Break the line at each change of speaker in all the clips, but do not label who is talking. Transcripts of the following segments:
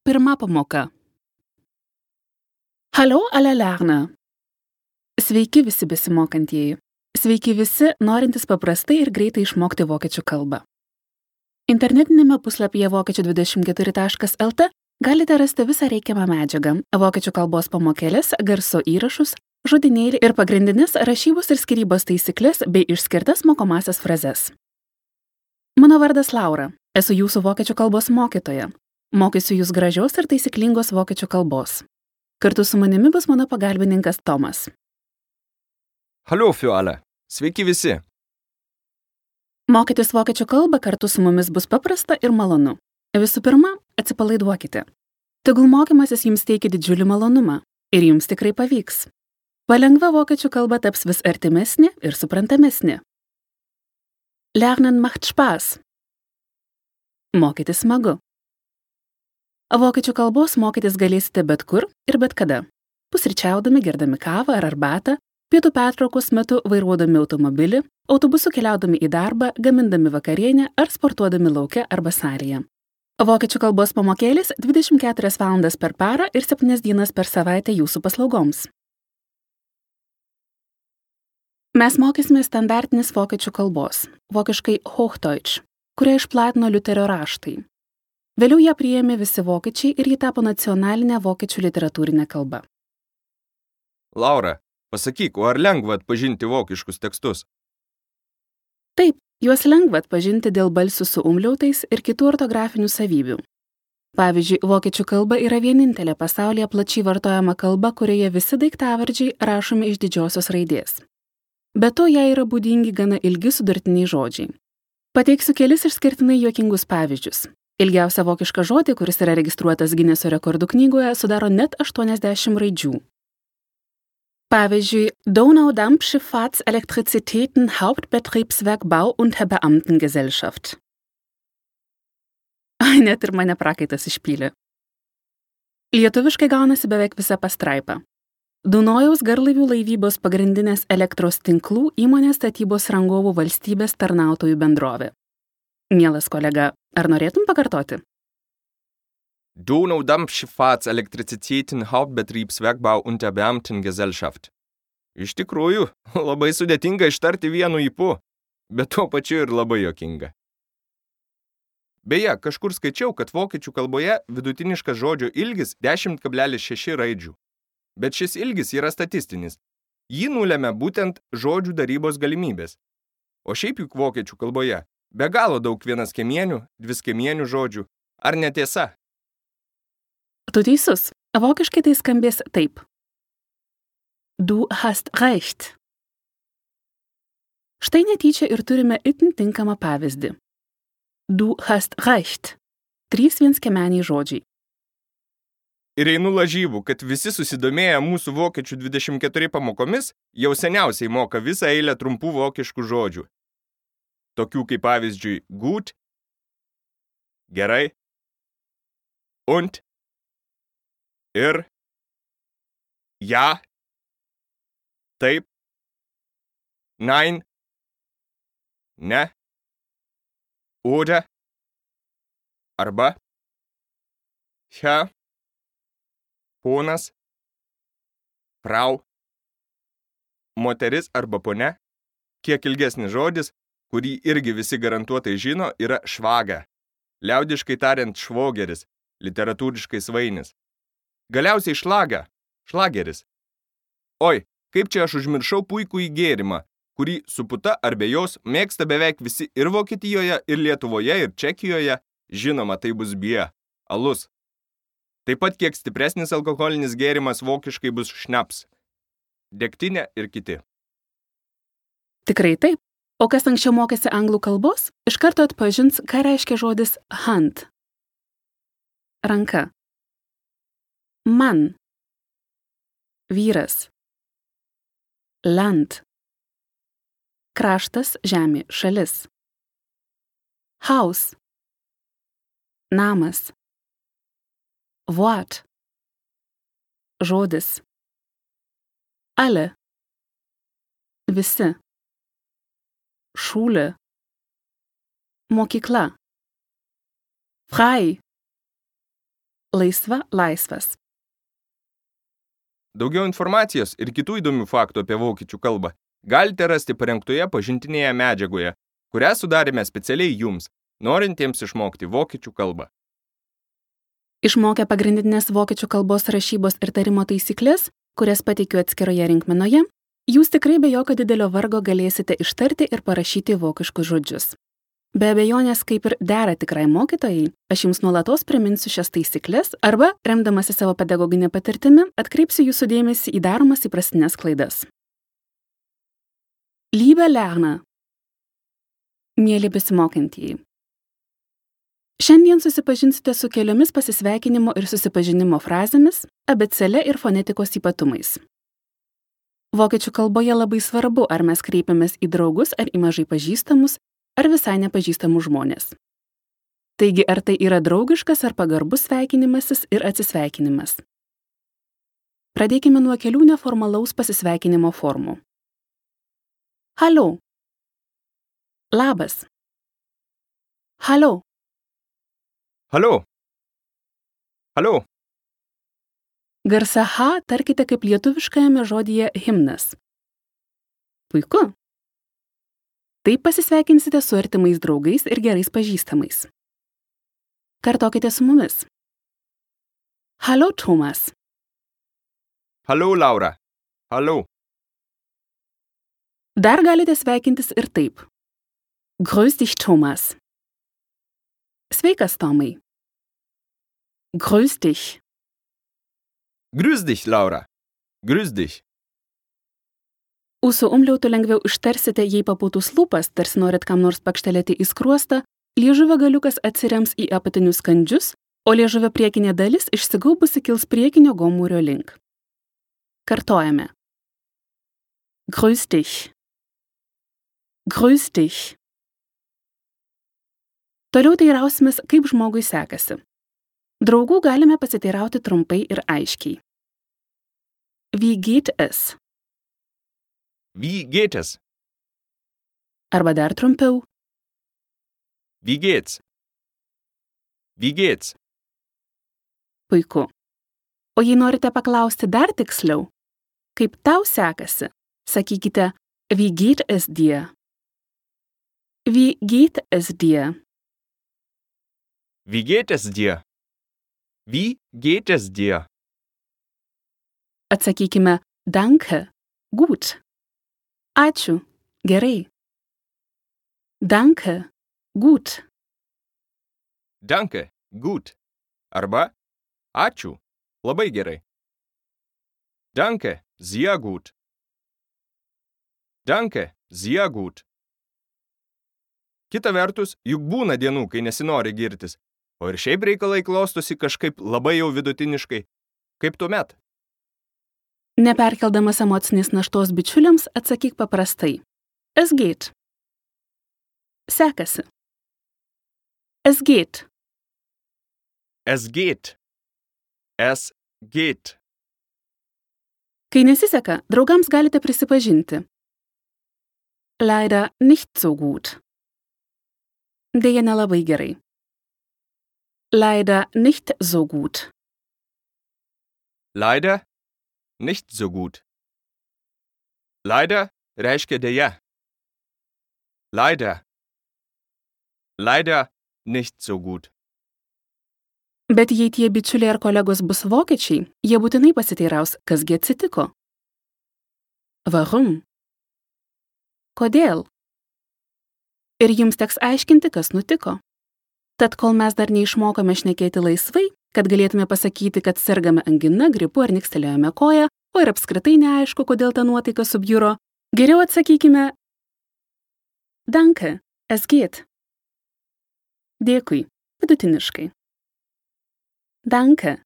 Pirma pamoka. Hallo alle Lerner. Sveiki visi besimokantieji. Sveiki visi, norintys paprastai ir greitai išmokti vokiečių kalbą. Internetinėme puslapyje vokiečių24.lt galite rasti visą reikiamą medžiagą, vokiečių kalbos pamokėlės, garso įrašus, žodynėlį ir pagrindinės rašybos ir skyrybos taisyklės bei išskirtas mokomasias frazes. Mano vardas Laura, esu jūsų vokiečių kalbos mokytoja. Mokysiu jūs gražios ir taisyklingos vokiečių kalbos. Kartu su manimi bus mano pagalbininkas Tomas.
Hallo für alle. Sveiki visi.
Mokytis vokiečių kalbą kartu su mumis bus paprasta ir malonu. Visų pirma, atsipalaiduokite. Tegul mokymasis jums teikia didžiulį malonumą ir jums tikrai pavyks. Palengva vokiečių kalba taps vis artimesnė ir suprantamesnė. Lernen macht Spaß. Mokytis smagu. Vokiečių kalbos mokytis galėsite bet kur ir bet kada. Pusryčiaudami, gerdami kavą ar arbatą, pietų pertraukos metu vairuodami automobilį, autobusu keliaudami į darbą, gamindami vakarienę ar sportuodami lauke arba salėje. Vokiečių kalbos pamokėlės 24 valandas per parą ir 7 dienas per savaitę jūsų paslaugoms. Mes mokysime standartinės vokiečių kalbos, vokiškai Hochdeutsch, kurią išplatino Liuterio raštai. Vėliau ją priėmė visi vokiečiai ir ji tapo nacionalinė vokiečių literatūrinė kalba.
Laura, pasakyk, ar lengva atpažinti vokiškus tekstus?
Taip, juos lengva atpažinti dėl balsių su umliautais ir kitų ortografinių savybių. Pavyzdžiui, vokiečių kalba yra vienintelė pasaulyje plačiai vartojama kalba, kurioje visi daiktavardžiai rašomi iš didžiosios raidės. Be to, jai yra būdingi gana ilgi sudurtiniai žodžiai. Pateiksiu kelis išskirtinai juokingus pavyzdžius. Ilgiausią vokišką žodį, kuris yra registruotas Gineso rekordų knygoje, sudaro net 80 raidžių. Pavyzdžiui, Donaudampfschifffahrtselektrizitäten Hauptbetriebswerk Bau- und Beamtengesellschaft. Net ir mane prakaitas išpylė. Lietuviškai gaunasi beveik visa pastraipa. Dunojaus garlaivių laivybos pagrindinės elektros tinklų įmonės statybos rangovų valstybės tarnautojų bendrovė. Mielas kolega, ar norėtum pakartoti?
Donaudampfschifffahrtselektrizitäten Hauptbetriebswerk Bau- und Beamtengesellschaft. Iš tikrųjų, labai sudėtinga ištarti vienu ypu, bet tuo pačiu ir labai juokinga. Beje, kažkur skaičiau, kad vokiečių kalboje vidutiniškas žodžio ilgis 10,6 raidžių. Bet šis ilgis yra statistinis. Jį nulemia būtent žodžių darybos galimybės. O šiaip juk vokiečių kalboje be galo daug vienaskemienių, dviskemienių žodžių. Ar netiesa?
Tu teisus. Vokiškai tai skambės taip. Du hast recht. Štai netyčia ir turime itin tinkamą pavyzdį. Du hast recht. 3 vienskemeniai žodžiai.
Ir einu lažybų, kad visi susidomėję mūsų vokiečių 24 pamokomis jau seniausiai moka visą eilę trumpų vokiškų žodžių. Tokių kaip pavyzdžiui gut, gerai, und, ir, ja, taip, nein, ne, oder, arba, ja, ponas, frau, moteris arba ponia. Kiek ilgesnis žodis, kurį irgi visi garantuotai žino, yra švaga. Liaudiškai tariant švogeris, literatūriškai svainis. Galiausiai šlaga, šlageris. Oi, kaip čia aš užmiršau puikų įgėrimą, kurį su puta ar be jos mėgsta beveik visi ir Vokietijoje, ir Lietuvoje, ir Čekijoje. Žinoma, tai bus bie, alus. Taip pat kiek stipresnis alkoholinis gėrimas vokiškai bus šnaps, degtinė ir kiti.
Tikrai taip. O kas anksčiau mokėsi anglų kalbos, iš karto atpažins, ką reiškia žodis hand. Ranka. Man. Vyras. Land. Kraštas, žemė, šalis. Haus. Namas. Wort. Žodis. Alle. Visi. Schule. Mokykla. Frei. laisva, laisvas.
Daugiau informacijos ir kitų įdomių faktų apie vokiečių kalbą galite rasti parengtoje pažintinėje medžiagoje, kurią sudarėme specialiai jums, norintiems išmokti vokiečių kalbą.
Išmokę pagrindinės vokiečių kalbos rašybos ir tarimo taisyklės, kurias pateikiu atskiroje rinkmenoje, jūs tikrai be jokio didelio vargo galėsite ištarti ir parašyti vokiškus žodžius. Be abejonės, kaip ir dera tikrai mokytojai, aš jums nuolatos priminsiu šias taisyklės arba, remdamasi savo pedagoginę patirtimi, atkreipsiu jūsų dėmesį į daromas įprastinės klaidas. Liebe Lerner. Mieli besimokantieji. Šiandien susipažinsite su keliomis pasisveikinimo ir susipažinimo frazėmis, abėcėle ir fonetikos ypatumais. Vokiečių kalboje labai svarbu, ar mes kreipiamės į draugus ar į mažai pažįstamus, ar visai nepažįstamus žmonės. Taigi, ar tai yra draugiškas ar pagarbus sveikinimasis ir atsisveikinimas. Pradėkime nuo kelių neformalaus pasisveikinimo formų. Hallo. Labas. Hallo.
Hallo. Hallo.
Garsą H tarkite kaip lietuviškajame žodyje himnas. Puiku. Taip pasisveikinsite su artimais draugais ir gerais pažįstamais. Kartokite su mumis. Hallo, Thomas.
Hallo, Laura. Hallo.
Dar galite sveikintis ir taip. Grüß dich, Thomas. Sveikas, Tomai. Grüß dich.
Grüß dich, Laura. Grüß dich.
Ūsų umliautų lengviau ištarsite, jei papūtus lūpas, tarsi norit kam nors pakštelėti į skruostą, liežuvio galiukas atsirems į apatinius kandžius, o liežuvio priekinė dalis išsigaubusi kils priekinio gomūrio link. Kartojame. Grüß dich. Grüß dich. Toliau teirausimės, kaip žmogui sekasi. Draugų galime pasiteirauti trumpai ir aiškiai. Wie geht es?
Wie geht es?
Arba dar trumpiau.
Wie geht's? Wie geht's?
Puiku. O jei norite paklausti dar tiksliau, kaip tau sekasi, sakykite, wie geht es dir? Wie geht es dir?
Wie geht es dir? Wie geht es dir?
Atsakykime, danke, gut. Ačiū, gerai. Danke, gut.
Danke, gut. Arba ačiū, labai gerai. Danke, sehr gut. Danke, sehr gut. Kita vertus, juk būna dienų, kai nesinori girtis, o ir šiaip reikalai klostosi kažkaip labai jau vidutiniškai. Kaip tuomet?
Neperkeldamas emocinės naštos bičiuliams, atsakyk paprastai. Es geht. Sekasi. Es geht.
Es geht. Es geht.
Kai nesiseka, draugams galite prisipažinti. Leider nicht so gut. Deja nelabai gerai. Leider nicht so gut.
Leider nicht so gut. Leider reiškia deja. Leider. Leider nicht so gut.
Bet jei tie bičiuliai ar kolegos bus vokiečiai, jie būtinai pasiteiraus, kasgi atsitiko. Warum? Kodėl? Ir jums teks aiškinti, kas nutiko. Tad kol mes dar neišmokome šnekėti laisvai, kad galėtume pasakyti, kad sergame angina, gripu ar nikstelėjome koją, o ir apskritai neaišku, kodėl ta nuotaika subjuro, geriau atsakykime Danke, es geht. Dėkui, vidutiniškai. Danke,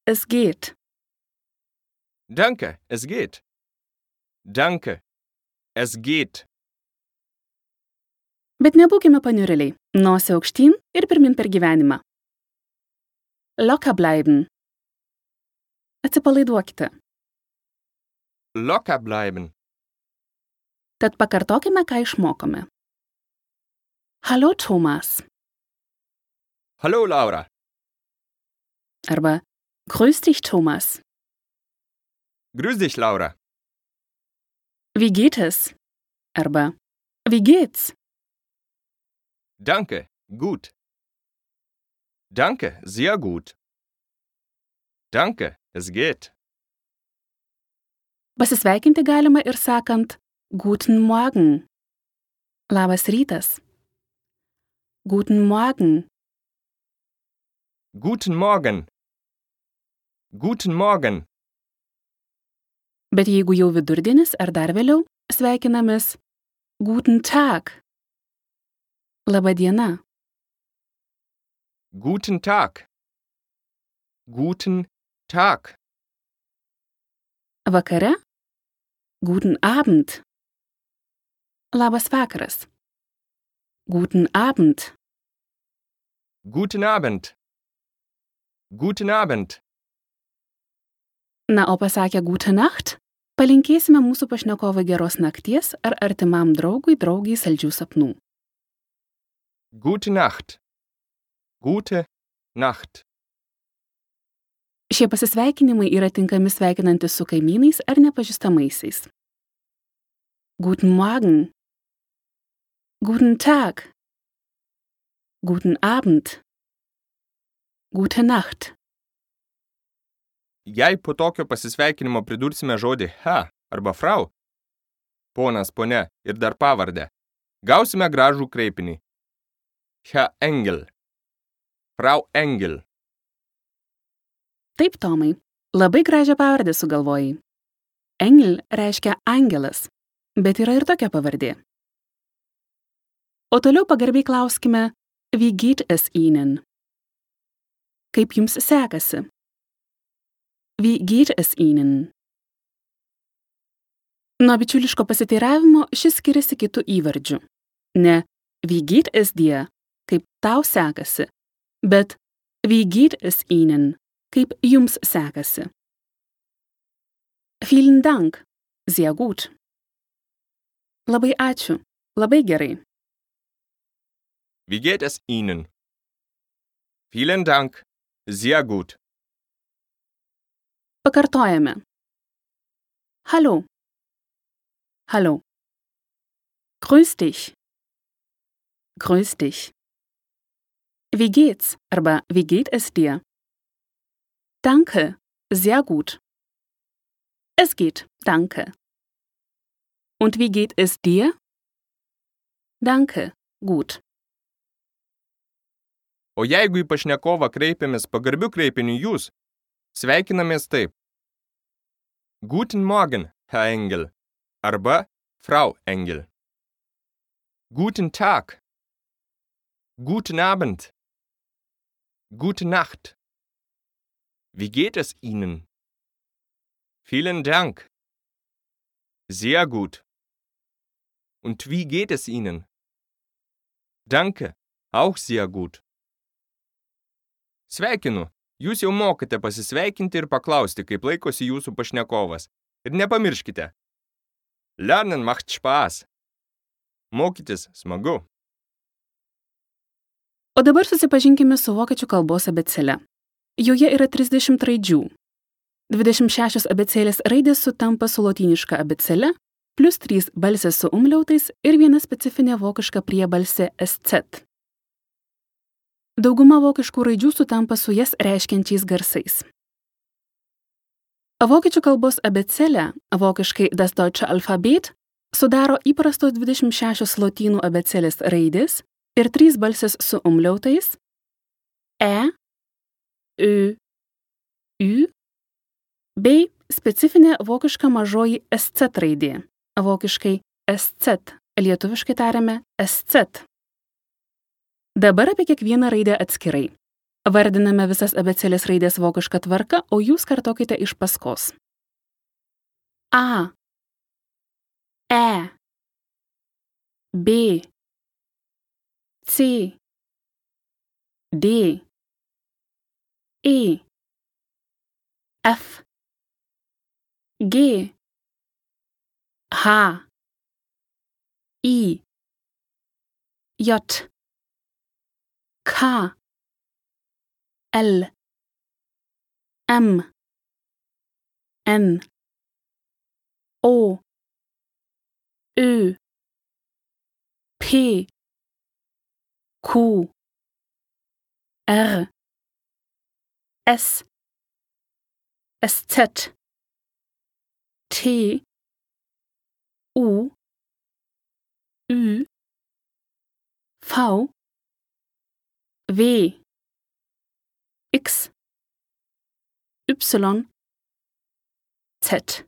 es geht.
Danke, es geht. Danke, es geht.
Bet nebūkime paniurėliai, nosį aukštyn ir pirmin per gyvenimą. Locker bleiben. Atsipalaiduokite.
Locker bleiben.
Tad pakartokime, ką išmokome. Hallo, Thomas.
Hallo, Laura.
arba Grüß dich, Thomas.
Grüß dich, Laura.
Wie geht es? Arba Wie geht's?
Danke, gut. Danke, sehr gut. Danke, es geht.
Pasisveikinti galima ir sakant Guten Morgen. Labas rytas. Guten Morgen.
Guten Morgen. Guten Morgen.
Bet jeigu jau vidurdienis ar dar vėliau, sveikinamės Guten Tag. Labą diena.
Guten Tag. Guten Tag.
Vakare Guten Abend. Labas vakaras. Guten Abend.
Guten Abend. Guten Abend.
Na, o pasakę Gute Nacht, palinkėsime mūsų pašnekovui geros nakties ar artimam draugui draugiai saldžių sapnų.
Gute Nacht. Gute Nacht.
Šie pasisveikinimai yra tinkami sveikinantis su kaimynais ar nepažįstamaisiais. Guten Morgen. Guten Tag. Guten Abend. Gute Nacht.
Jei po tokio pasisveikinimo pridursime žodį ha arba frau, ponas, ponia ir dar pavardę, gausime gražų kreipinį. Herr Engel. Frau Engel.
Taip, Tomai, labai gražią pavardę sugalvojai. Engel reiškia angelas, bet yra ir tokia pavardė. O toliau pagarbiai klauskime, wie geht es Ihnen? Kaip jums sekasi? Wie geht es Ihnen? Nuo bičiuliško pasiteiravimo šis skiriasi kitų įvardžių. Ne wie geht es dir, kaip tau sekasi, bet wie geht es Ihnen, kaip jums sekasi. Vielen Dank, sehr gut. Labai ačiū, labai gerai.
Wie geht es Ihnen? Vielen Dank. Sehr gut.
Pakartojame. Hallo. Hallo. Grüß dich. Grüß dich. Wie geht's? Arba wie geht es dir? Danke. Sehr gut. Es geht. Danke. Und wie geht es dir? Danke. Gut.
O jeigu į pašnekovą kreipiamės pagarbiu kreipiniu jūs, sveikinamės taip. Guten Morgen, Herr Engel. Arba Frau Engel. Guten Tag. Guten Abend. Gute Nacht. Wie geht es Ihnen? Vielen Dank. Sehr gut. Und wie geht es Ihnen? Danke. Auch sehr gut. Sveikinu, jūs jau mokate pasisveikinti ir paklausti, kaip laikosi jūsų pašnekovas. Ir nepamirškite. Lernen macht Spaß. Mokytis smagu.
O dabar susipažinkime su vokiečių kalbos abėcėle. Joje yra 30 raidžių. 26 abėcėlės raidės sutampa su lotyniška abėcėle, plus 3 balsės su umliautais ir viena specifinė vokiška priebalsė SZ. Dauguma vokiškų raidžių sutampa su jas reiškiančiais garsais. Vokiečių kalbos abėcėlę, vokiškai das deutsche Alphabet, sudaro įprastos 26 lotynų abėcėlės raidės ir 3 balsės su umliautais E, Ö, Ü, bei specifinė vokiška mažoji SZ raidė, vokiškai SZ, lietuviškai tariame SZ. Dabar apie kiekvieną raidę atskirai. Vardiname visas abėcėlės raidės vokišką tvarką, o jūs kartokite iš paskos. A, E, B, C, D, E, F, G, H, I, J, K, L, M, N, O, Ö, P, Q, R, S, SZ, T, U, Ü, V, W, X, Y, Z.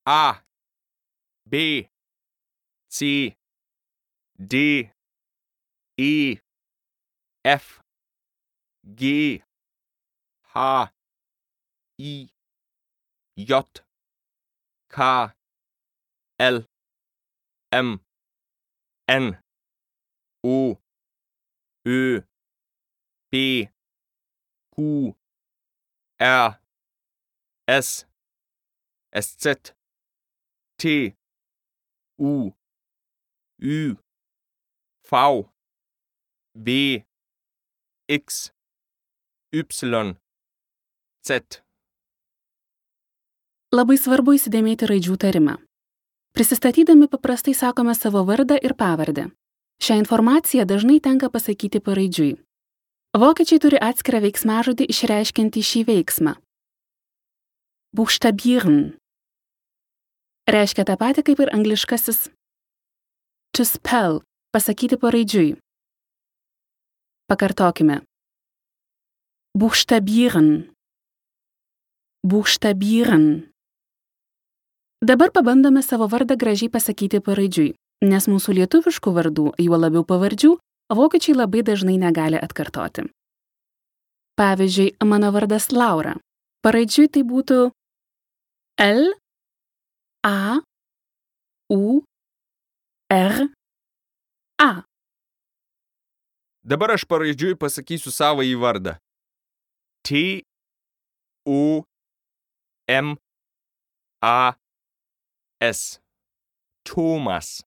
A, B, C, D, E, F, G, H, I, J, K, L, M, N, O, Ö, P, Q, R, S, SZ, T, U, Ü, V, W, X, Y, Z.
Labai svarbu įsidėmėti raidžių tarimą. Prisistatydami paprastai sakome savo vardą ir pavardę. Šią informaciją dažnai tenka pasakyti paraidžiui. Vokiečiai turi atskirą veiksmažodį išreiškiantį šį veiksmą. Buchstabieren. Reiškia tą patį kaip ir angliškasis to spell, pasakyti paraidžiui. Pakartokime. Buchstabieren. Buchstabieren. Dabar pabandome savo vardą gražiai pasakyti paraidžiui, nes mūsų lietuviškų vardų, juo labiau pavardžių, vokiečiai labai dažnai negali atkartoti. Pavyzdžiui, mano vardas Laura. Paraidžiui tai būtų L, A, U, R, A.
Dabar aš paraidžiui pasakysiu savąjį vardą. T, U, M, A, S. Tomas.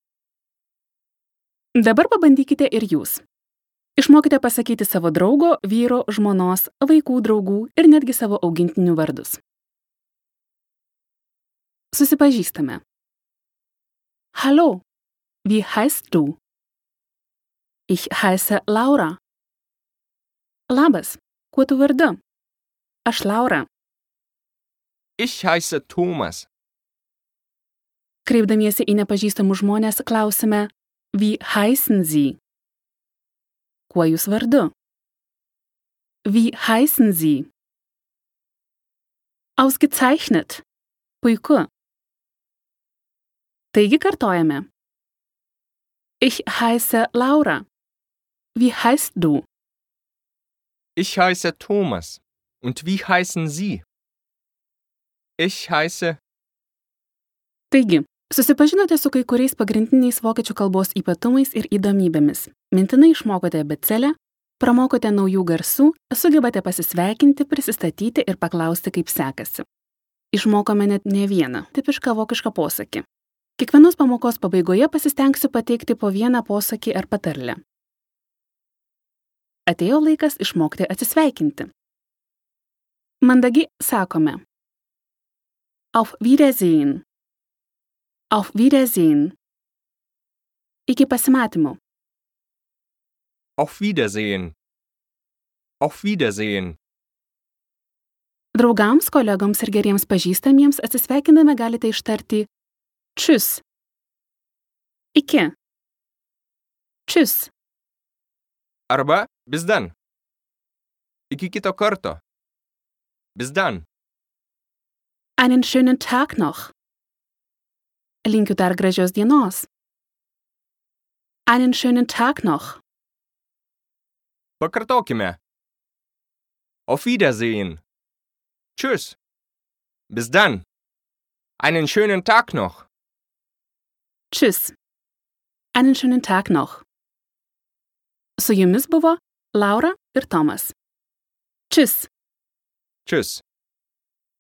Dabar pabandykite ir jūs. Išmokite pasakyti savo draugo, vyro, žmonos, vaikų draugų ir netgi savo augintinių vardus. Susipažįstame. Hallo, wie heißt du? Ich heiße Laura. Labas, kuo tu vardu? Aš Laura.
Ich heiße Thomas.
Kreipdamiesi į nepažįstamus žmonės klausime, wie heißen Sie? Kuo jūs vardu? Wie heißen Sie? Ausgezeichnet. Puiku. Taigi kartojame. Ich heiße Laura. Wie heißt du?
Ich heiße Thomas. Und wie heißen Sie? Ich heiße...
Taigi, susipažinote su kai kuriais pagrindiniais vokiečių kalbos ypatumais ir įdomybėmis. Mintinai išmokote abėcėlę, pramokote naujų garsų, sugebate pasisveikinti, prisistatyti ir paklausti, kaip sekasi. Išmokome net ne vieną tipišką vokišką posakį. Kiekvienos pamokos pabaigoje pasistengsiu pateikti po vieną posakį ar patarlę. Atėjo laikas išmokti atsisveikinti. Mandagiai sakome. Auf Wiedersehen. Auf Wiedersehen. Iki pasimatymo.
Auf Wiedersehen. Auf Wiedersehen.
Draugams, kolegoms ir geriems pažįstamiems atsisveikindami galite ištarti Tschüss. Iki. Tschüss.
Arba bis dann. Iki kito karto. Bis dann.
Einen schönen Tag noch. Linkiu dar gražios dienos. Einen schönen Tag noch.
Pakartokime. Auf Wiedersehen. Tschüss. Bis dann. Einen schönen Tag noch.
Tschüss. Einen schönen Tag noch. Su jumis buvo Laura ir Tomas. Tschüss.
Tschüss.